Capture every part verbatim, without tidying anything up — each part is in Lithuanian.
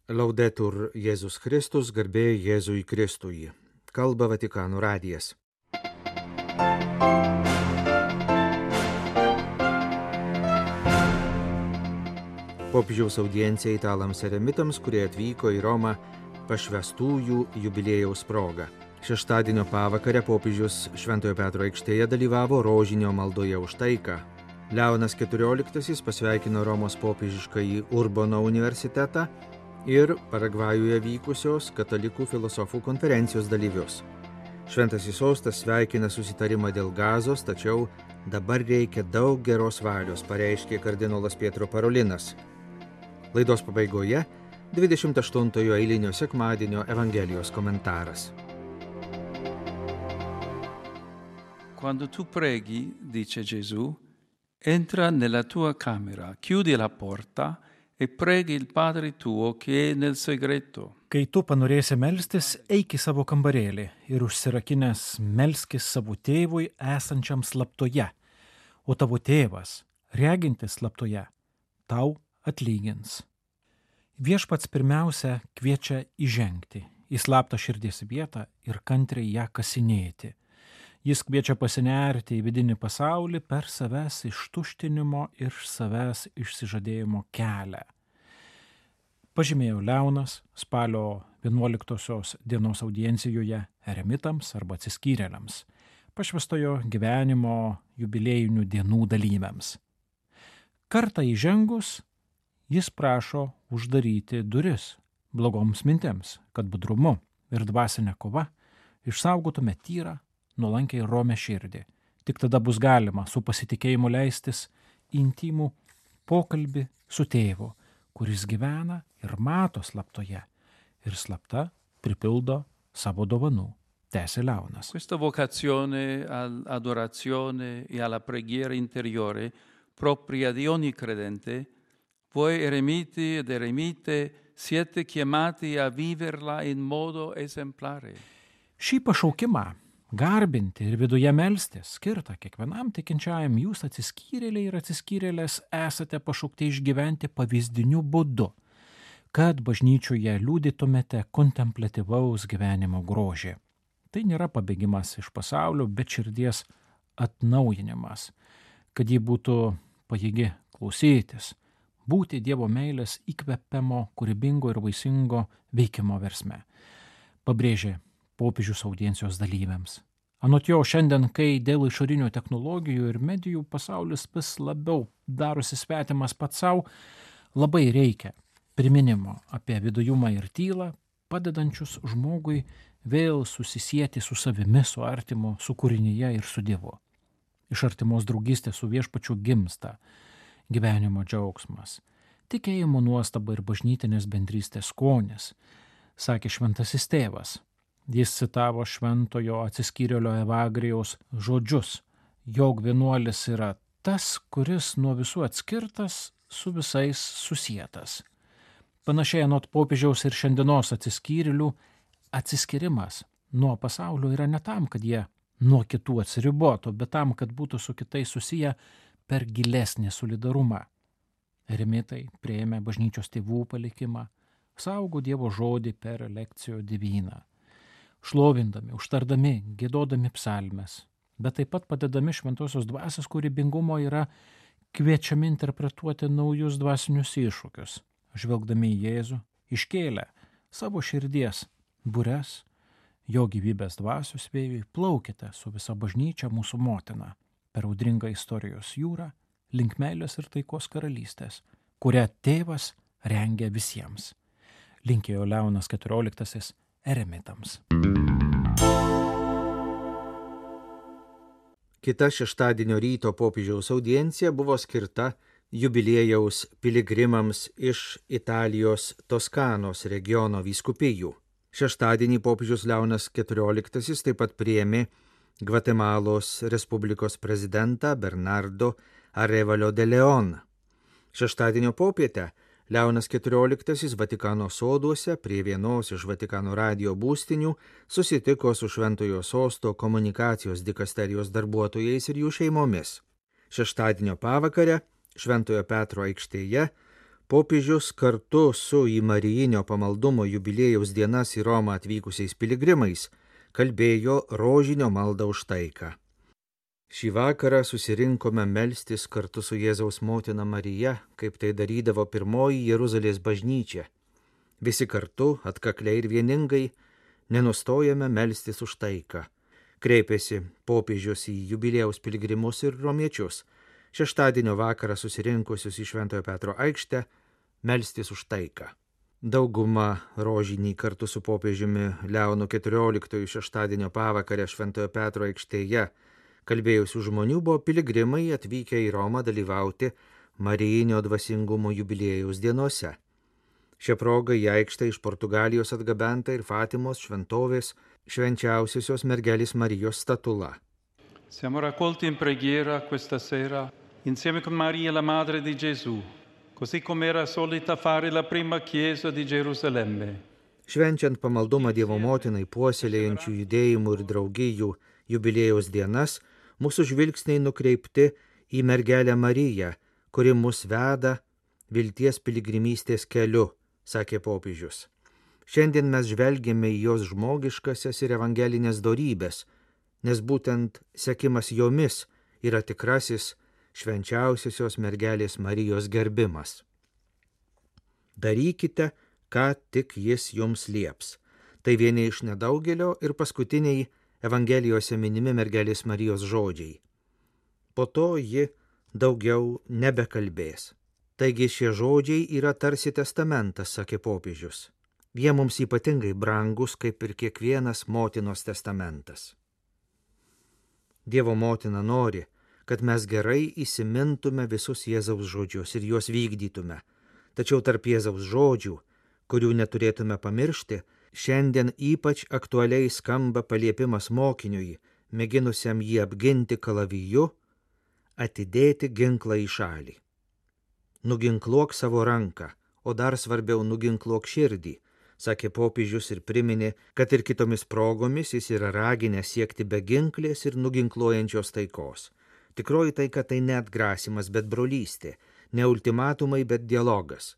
Laudetur Jėzus Kristus, garbė Jėzui Kristui. Kalba Vatikano radijas. Popiežiaus audiencija italams eremitams, kurie atvyko į Romą pašvęstųjų jubiliejaus proga. Šeštadienio pavakarę popiežius Šventojo Petro aikštėje dalyvavo rožinio maldoje už taiką. Leonas keturioliktasis pasveikino Romos popiežiškąjį Urbono universitetą ir Paragvajuje vykusios katalikų filosofų konferencijos dalyvius. Šventasis sostas sveikina susitarimą dėl Gazos, tačiau dabar reikia daug geros valios, pareiškė kardinolas Pietro Parolinas. Laidos pabaigoje dvidešimt aštuntojo eilinio sekmadienio Evangelijos komentaras. Quando tu preghi, dice Gesù, entra nella tua camera, chiudi la porta e preghi il Padre tuo che è nel segreto. Kai tu panorėsi melstis, eik į savo kambarėlį ir užsirakinęs melskis savo tėvui esančiam slaptoje, o tavo tėvas, regintis slaptoje, tau atlygins. Viešpats pirmiausia kviečia įžengti į slaptą širdies vietą ir kantriai ją kasinėti. Jis kviečia pasinerti į vidinį pasaulį per savęs ištuštinimo ir savęs išsižadėjimo kelią. Pažymėjo Leonas spalio vienuoliktosios dienos audiencijoje eremitams arba atsiskyrėliams, pašvęstojo gyvenimo jubiliejinių dienų dalyviams. Kartą įžengus, jis prašo uždaryti duris blogoms mintims, kad budrumu ir dvasinė kova išsaugotume tyrą, nuolankiai romę širdį. Tik tada bus galima su pasitikėjimu leistis į intimų pokalbį su tėvu, kuris gyvena ir mato slaptoje ir slapta pripildo savo dovanų, tęsė Leonas. Questa vocazione all'adorazione e alla preghiera interiore propria di ogni credente, voi eremiti ed eremite siete chiamati a viverla in modo esemplare. Šį pašaukimą garbinti ir viduje melstis skirta kiekvienam tikinčiajam, jūs atsiskyrėliai ir atsiskyrėlės esate pašaukti išgyventi pavyzdiniu būdu, kad bažnyčioje liudytumėte kontempliatyvaus gyvenimo grožį. Tai nėra pabėgimas iš pasaulio, bet širdies atnaujinimas, kad ji būtų pajėgi klausytis, būti Dievo meilės įkvėpimo, kūrybingo ir vaisingo veikimo versme, pabrėžė popiežius audiencijos dalyviams. Anot jo, šiandien, kai dėl išorinių technologijų ir medijų pasaulis vis labiau darosi svetimas pats savo, labai reikia priminimo apie vidujumą ir tylą, padedančius žmogui vėl susisieti su savimi, su artimu, su kūrinyje ir su Dievu. Iš artimos draugystės su viešpačiu gimsta gyvenimo džiaugsmas, tikėjimo nuostaba ir bažnytinės bendrystės skonis, sakė šventasis tėvas. Jis citavo šventojo atsiskyrėlio Evagrijaus žodžius, jog vienuolis yra tas, kuris nuo visų atskirtas, su visais susietas. Panašiai anot popiežiaus ir šiandienos atsiskyrėlių, atsiskyrimas nuo pasaulio yra ne tam, kad jie nuo kitų atsiribotų, bet tam, kad būtų su kitais susiję per gilesnį solidarumą. Eremitai priėmė bažnyčios tėvų palikimą, saugo Dievo žodį per lekcijo diviną, šlovindami, užtardami, giedodami psalmes, bet taip pat padedami šventosios dvasios kūrybingumo yra kviečiami interpretuoti naujus dvasinius iššūkius, žvelgdami į Jėzų, iškėlę savo širdies bures, jo gyvybės dvasios vėjui, plaukite su visa bažnyčia mūsų motina per audringą istorijos jūrą link meilės ir taikos karalystės, kurią tėvas rengia visiems. Linkėjo Leonas keturioliktasis eremitams. Kita šeštadienio ryto popiežiaus audiencija buvo skirta jubiliejaus piligrimams iš Italijos Toskanos regiono vyskupijų. Šeštadienį popiežius Leonas keturioliktasis taip pat priėmė Gvatemalos Respublikos prezidentą Bernardo Arévalo de León. Šeštadienio popietę Leonas keturioliktasis Vatikano soduose prie vienos iš Vatikano radijo būstinių susitiko su Šventojo sosto komunikacijos dikasterijos darbuotojais ir jų šeimomis. Šeštadienio pavakarę Šventojo Petro aikštėje Popiežius kartu su į Marijinio pamaldumo jubiliejaus dienas į Romą atvykusiais piligrimais kalbėjo rožinio maldą už taiką. Šį vakarą susirinkome melstis kartu su Jėzaus motina Marija, kaip tai darydavo pirmoji Jeruzalės bažnyčia. Visi kartu, atkakliai ir vieningai, nenustojame melstis už taiką. Kreipėsi popiežius į jubiliejaus piligrimus ir romiečius, šeštadienio vakarą susirinkusius į Šventojo Petro aikštę, melstis už taiką. Dauguma rožinį kartu su popiežiumi Leonu keturioliktuoju šeštadienio pavakarę Šventojo Petro aikštėje kalbėjusių žmonių buvo piligrimai atvykę į Romą dalyvauti Marijinio dvasingumo jubiliejaus dienose. Šią progą į aikštę iš Portugalijos atgabenta ir Fatimos šventovės švenčiausiosios mergelės Marijos statula. Siamo raccolti in preghiera questa sera insieme con Maria la Madre di Gesù, così come era solita fare la prima chiesa di Gerusalemme. Švenčiant pamaldumą Dievo motinai puoselėjančių judėjimų ir draugijų jubiliejaus dienas, mūsų žvilgsniai nukreipti į mergelę Mariją, kuri mus veda vilties piligrimystės keliu, sakė popiežius. Šiandien mes žvelgiame į jos žmogiškasias ir evangelinės dorybės, nes būtent sekimas jomis yra tikrasis švenčiausiosios mergelės Marijos gerbimas. Darykite, ką tik jis jums lieps. Tai vieni iš nedaugelio ir paskutiniai Evangelijose minimi mergelės Marijos žodžiai. Po to ji daugiau nebekalbės. Taigi šie žodžiai yra tarsi testamentas, sakė popiežius. Jie mums ypatingai brangus, kaip ir kiekvienas motinos testamentas. Dievo motina nori, kad mes gerai įsimintume visus Jėzaus žodžius ir juos vykdytume. Tačiau tarp Jėzaus žodžių, kurių neturėtume pamiršti, šiandien ypač aktualiai skamba paliepimas mokiniui, mėginusiam jį apginti kalaviju, atidėti ginklą į šalį. Nuginkluok savo ranką, o dar svarbiau nuginkluok širdį, sakė popiežius ir priminė, kad ir kitomis progomis jis yra raginęs siekti beginklės ir nuginkluojančios taikos. Tikroji taika tai ne atgrasimas, bet brolystė, ne ultimatumai, bet dialogas.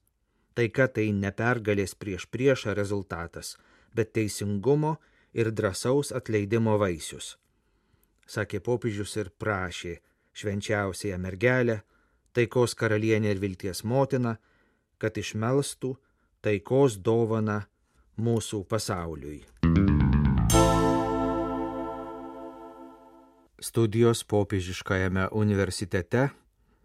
Taika tai ne pergalės prieš priešą rezultatas, bet teisingumo ir drąsaus atleidimo vaisius. Sakė popiežius ir prašė švenčiausiąją mergelę, taikos karalienę ir vilties motiną, kad išmelstų taikos dovaną mūsų pasauliui. Studijos popiežiškajame universitete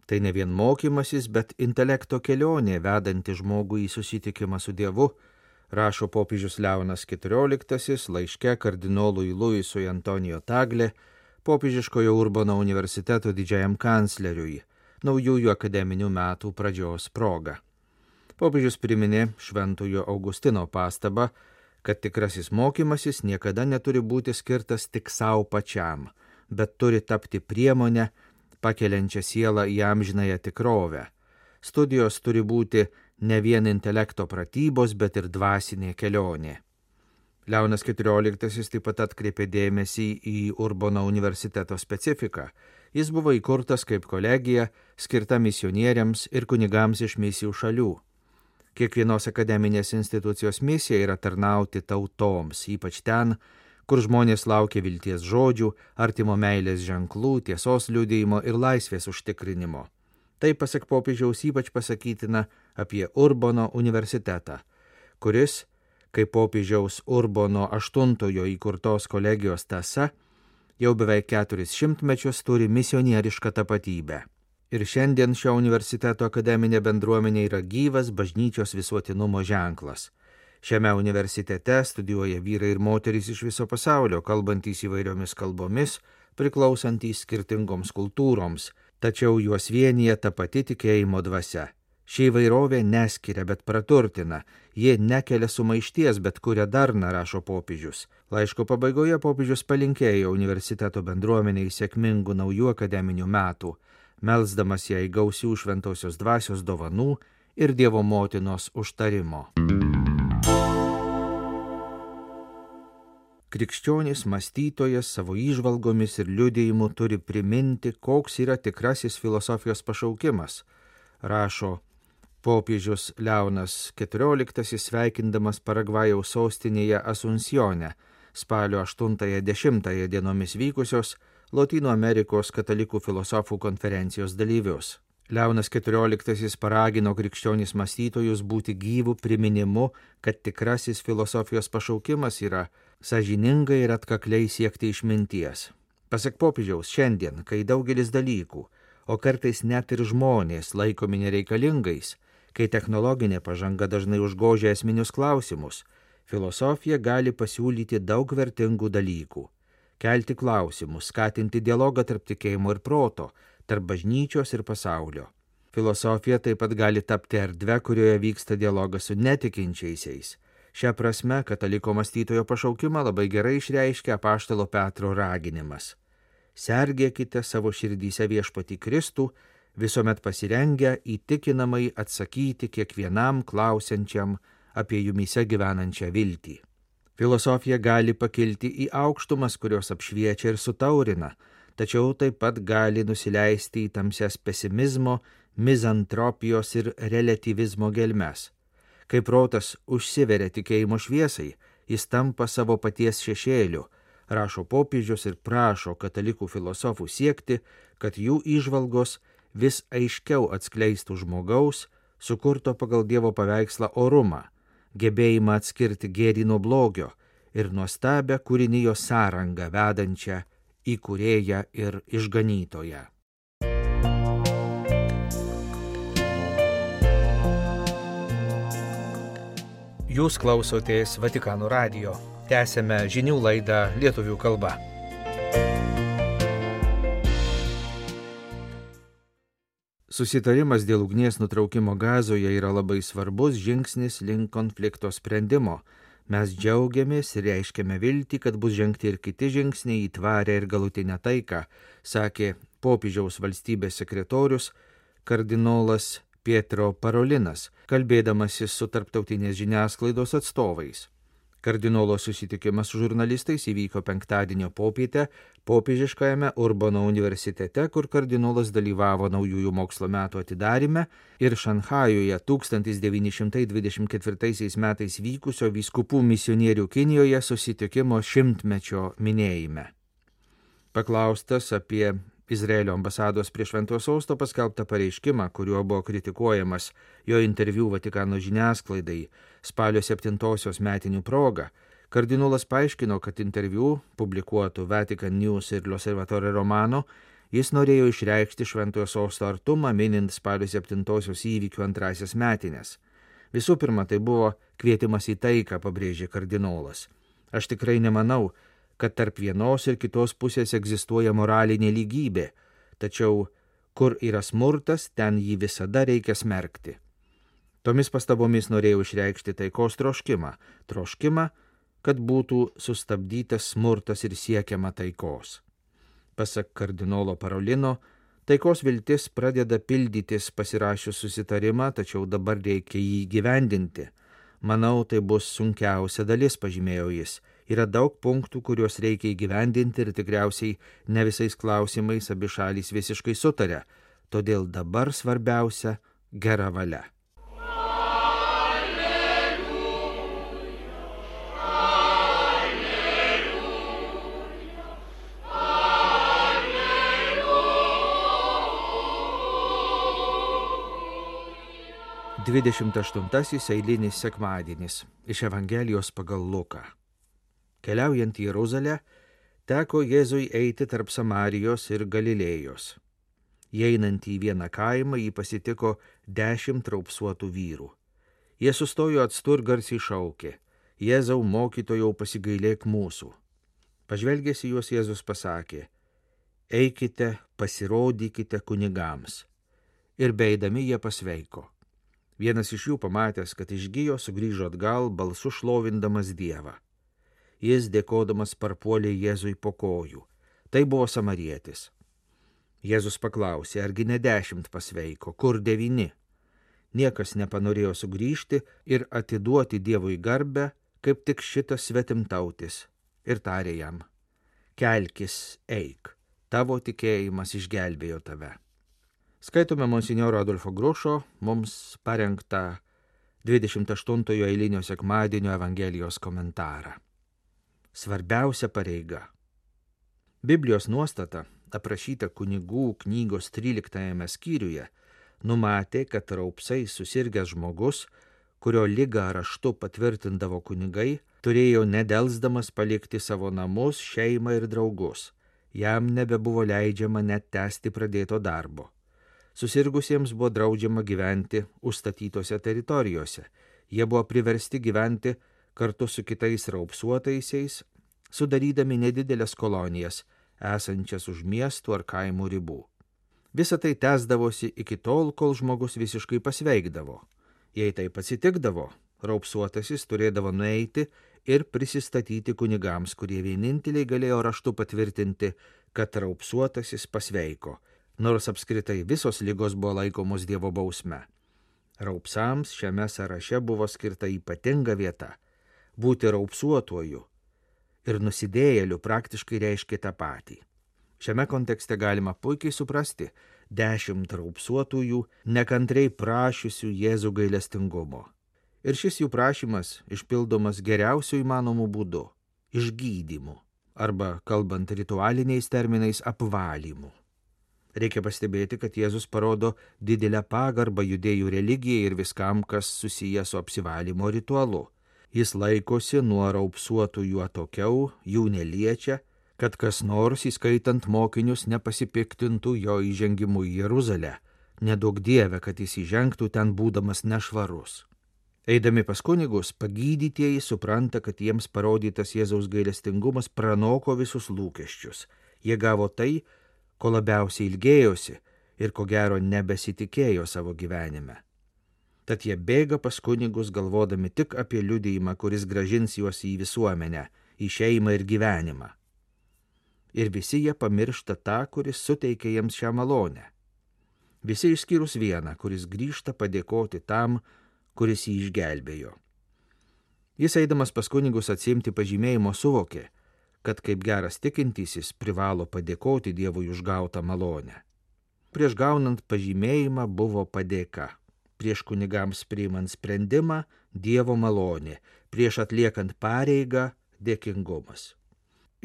tai ne vien mokymasis, bet intelekto kelionė vedanti žmogų į susitikimą su Dievu, rašo popiežius Leonas keturioliktasis laiške kardinolui Luisui Antonijo Tagle, popiežiškojo Urbono universiteto didžiajam kancleriui, naujųjų akademinių metų pradžios proga. Popiežius priminė šventojo Augustino pastabą, kad tikrasis mokymasis niekada neturi būti skirtas tik savo pačiam, bet turi tapti priemonę, pakeliančią sielą į amžinąją tikrovę. Studijos turi būti ne vien intelekto pratybos, bet ir dvasinė kelionė. Leonas keturioliktasis taip pat atkreipė dėmesį į Urbono universiteto specifiką. Jis buvo įkurtas kaip kolegija, skirta misionieriams ir kunigams iš misijų šalių. Kiekvienos akademinės institucijos misija yra tarnauti tautoms, ypač ten, kur žmonės laukia vilties žodžių, artimo meilės ženklų, tiesos liudijimo ir laisvės užtikrinimo. Tai pasak popiežiaus ypač pasakytina apie Urbono universitetą, kuris, kaip popiežiaus Urbono aštuntojo įkurtos kolegijos tąsa, jau beveik keturis šimtmečius turi misionierišką tapatybę. Ir šiandien šio universiteto akademinė bendruomenė yra gyvas bažnyčios visuotinumo ženklas. Šiame universitete studijuoja vyrai ir moterys iš viso pasaulio, kalbantys įvairiomis kalbomis, priklausantys skirtingoms kultūroms, tačiau juos vienija ta pati tikėjimo dvasia. Ši įvairovė neskiria, bet praturtina, ji nekelia sumaišties, bet kuria darną, rašo popiežius. Laiško pabaigoje popiežius palinkėjo universiteto bendruomeniai sėkmingų naujų akademinių metų, melsdamas jai gausių šventosios dvasios dovanų ir Dievo motinos užtarimo. Krikščionis mąstytojas savo įžvalgomis ir liudijimu turi priminti, koks yra tikrasis filosofijos pašaukimas, rašo Popiežius Leonas keturioliktasis sveikindamas Paragvajaus sostinėje Asunsione spalio aštuntąją dešimtąją dienomis vykusios Lotynų Amerikos katalikų filosofų konferencijos dalyvius. Leonas keturioliktasis paragino krikščionis mąstytojus būti gyvų priminimu, kad tikrasis filosofijos pašaukimas yra sąžiningai ir atkakliai siekti išminties. Pasak popiežiaus, šiandien, kai daugelis dalykų, o kartais net ir žmonės laikomi nereikalingais, kai technologinė pažanga dažnai užgožia esminius klausimus, filosofija gali pasiūlyti daug vertingų dalykų. Kelti klausimus, skatinti dialogą tarp tikėjimo ir proto, tarp bažnyčios ir pasaulio. Filosofija taip pat gali tapti erdve, kurioje vyksta dialogas su netikinčiaisiais. Šią prasme, kataliko mąstytojo pašaukimą labai gerai išreiškia apaštalo Petro raginimas. Sergėkite savo širdyse viešpatį Kristų, visuomet pasirengę įtikinamai atsakyti kiekvienam klausiančiam apie jumyse gyvenančią viltį. Filosofija gali pakilti į aukštumas, kurios apšviečia ir sutaurina, tačiau taip pat gali nusileisti į tamsias pesimizmo, mizantropijos ir relatyvizmo gelmes. Kai protas užsiveria tikėjimo šviesai, jis tampa savo paties šešėliu, rašo popiežius ir prašo katalikų filosofų siekti, kad jų įžvalgos vis aiškiau atskleistų žmogaus, sukurto pagal Dievo paveikslą orumą, gebėjimą atskirti gėrį nuo blogio ir nuostabią kūrinijos sąrangą vedančią į kūrėją ir išganytoją. Jūs klausotės Vatikano radijo. Tęsėme žinių laidą lietuvių kalba. Susitarimas dėl ugnies nutraukimo Gazoje yra labai svarbus žingsnis link konflikto sprendimo. Mes džiaugiamės ir reiškiame viltį, kad bus žengti ir kiti žingsniai į tvarę ir galutinę taiką, sakė popiežiaus valstybės sekretorius kardinolas Pietro Parolinas, kalbėdamasis su tarptautinės žiniasklaidos atstovais. Kardinolo susitikimas su žurnalistais įvyko penktadienio popietę popiežiškajame Urbano universitete, kur kardinolas dalyvavo naujųjų mokslo metų atidaryme ir Šanchajuje tūkstantis devyni šimtai dvidešimt ketvirtaisiais metais vykusio vyskupų misionierių Kinijoje susitikimo šimtmečio minėjime. Paklaustas apie Izraelio ambasados prie Šventojo Sosto paskelbtą pareiškimą, kuriuo buvo kritikuojamas jo interviu Vatikano žiniasklaidai spalio septintosios metinių proga, kardinolas paaiškino, kad interviu, publikuotų Vatican News ir L'Osservatore Romano, jis norėjo išreikšti Šventojo Sosto artumą, minint spalio septintosios įvykių antrasias metines. Visų pirma, tai buvo kvietimas į taiką, pabrėžė kardinolas. Aš tikrai nemanau, kad tarp vienos ir kitos pusės egzistuoja moralinė lygybė, tačiau kur yra smurtas, ten jį visada reikia smerkti. Tomis pastabomis norėjau išreikšti taikos troškimą, troškimą, kad būtų sustabdytas smurtas ir siekiama taikos. Pasak kardinolo Parolino, taikos viltis pradeda pildytis pasirašius susitarimą, tačiau dabar reikia jį įgyvendinti. Manau, tai bus sunkiausia dalis, pažymėjo jis. Yra daug punktų, kuriuos reikia įgyvendinti ir tikriausiai ne visais klausimais abi šalys visiškai sutarė. Todėl dabar svarbiausia gera valia. dvidešimt aštuntasis eilinis sekmadienis iš Evangelijos pagal Luką. Keliaujant į Jeruzalę, teko Jėzui eiti tarp Samarijos ir Galilėjos. Įeinant į vieną kaimą, jį pasitiko dešimt raupsuotų vyrų. Jie sustojo atstu ir garsiai šaukė: Jėzau, mokytojau, pasigailėk mūsų. Pažvelgęs į juos Jėzus pasakė: Eikite, pasirodykite kunigams. Ir beeidami jie pasveiko. Vienas iš jų, pamatęs, kad išgijo, sugrįžo atgal, balsu šlovindamas Dievą. Jis, dėkodamas, parpuolė Jėzui po kojų. Tai buvo samarietis. Jėzus paklausė: argi ne dešimt pasveiko, kur devyni? Niekas nepanorėjo sugrįžti ir atiduoti Dievui garbę, kaip tik šitas svetimtautis. Ir tarė jam: kelkis, eik, tavo tikėjimas išgelbėjo tave. Skaitome monsinjoro Adolfo Grušo mums parengtą dvidešimt aštuntojo eilinio sekmadienio Evangelijos komentarą. Svarbiausia pareiga. Biblijos nuostata, aprašyta kunigų knygos tryliktajame skyriuje, numatė, kad raupsai susirgęs žmogus, kurio ligą raštu patvirtindavo kunigai, turėjo nedelsdamas palikti savo namus, šeimą ir draugus. Jam nebebuvo leidžiama net tęsti pradėto darbo. Susirgusiems buvo draudžiama gyventi užstatytose teritorijose. Jie buvo priversti gyventi kartu su kitais raupsuotaisiais, sudarydami nedidelės kolonijas, esančias už miestų ar kaimų ribų. Visa tai tęsdavosi iki tol, kol žmogus visiškai pasveikdavo. Jei taip atsitikdavo, raupsuotasis turėdavo nueiti ir prisistatyti kunigams, kurie vieninteliai galėjo raštu patvirtinti, kad raupsuotasis pasveiko, nors apskritai visos ligos buvo laikomos Dievo bausme. Raupsams šiame sąraše buvo skirta ypatinga vieta. Būti raupsuotuoju ir nusidėjėliu praktiškai reiškia tą patį. Šiame kontekste galima puikiai suprasti dešimt raupsuotųjų nekantriai prašiusių Jėzų gailestingumo. Ir šis jų prašymas išpildomas geriausiu įmanomu būdu – išgydymu, arba, kalbant ritualiniais terminais, apvalymu. Reikia pastebėti, kad Jėzus parodo didelę pagarbą judėjų religijai ir viskam, kas susiję su apsivalymo ritualu. Jis laikosi nuo raupsuotųjų atokiau, jų neliečia, kad kas nors, įskaitant mokinius, nepasipiktintų jo įžengimu į Jeruzalę. Nedaug Dieve, kad jis įžengtų ten būdamas nešvarus. Eidami pas kunigus, pagydytieji supranta, kad jiems parodytas Jėzaus gailestingumas pranoko visus lūkesčius. Jie gavo tai, ko labiausiai ilgėjosi ir ko gero nebesitikėjo savo gyvenime. Tad jie bėga pas kunigus, galvodami tik apie liudijimą, kuris grąžins juos į visuomenę, į šeimą ir gyvenimą. Ir visi jie pamiršta tą, kuris suteikia jiems šią malonę. Visi išskyrus vieną, kuris grįžta padėkoti tam, kuris jį išgelbėjo. Jis eidamas pas kunigus atsiimti pažymėjimo suvokė, kad kaip geras tikintysis privalo padėkoti Dievui už gautą malonę. Prieš gaunant pažymėjimą buvo padėka, prieš kunigams priimant sprendimą Dievo malonė, prieš atliekant pareigą dėkingumas.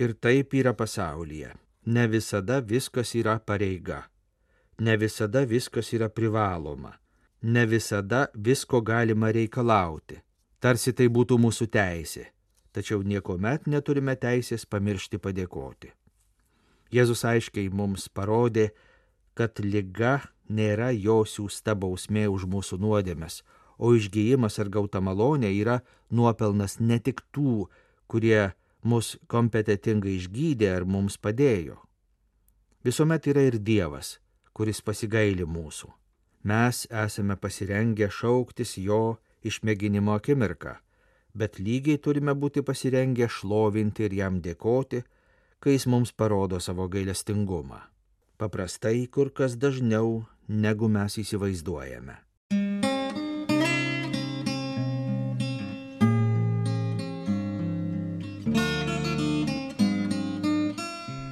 Ir taip yra pasaulyje. Ne visada viskas yra pareiga, ne visada viskas yra privaloma, ne visada visko galima reikalauti, tarsi tai būtų mūsų teisė. Tačiau niekuomet neturime teisės pamiršti padėkoti. Jėzus aiškiai mums parodė, kad liga nėra jo siųsta bausmė už mūsų nuodėmes, o išgyjimas ar gauta malonė yra nuopelnas ne tik tų, kurie mus kompetentingai išgydė ar mums padėjo. Visuomet yra ir Dievas, kuris pasigaili mūsų. Mes esame pasirengę šauktis jo išmėginimo akimirką, bet lygiai turime būti pasirengę šlovinti ir jam dėkoti, kai jis mums parodo savo gailestingumą. Paprastai kur kas dažniau, negu mes įsivaizduojame.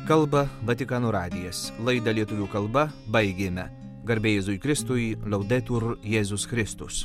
Kalba Vatikano radijas. Laidą lietuvių kalba baigėme. Garbė Jėzui Kristui, Laudetur Jėzus Kristus.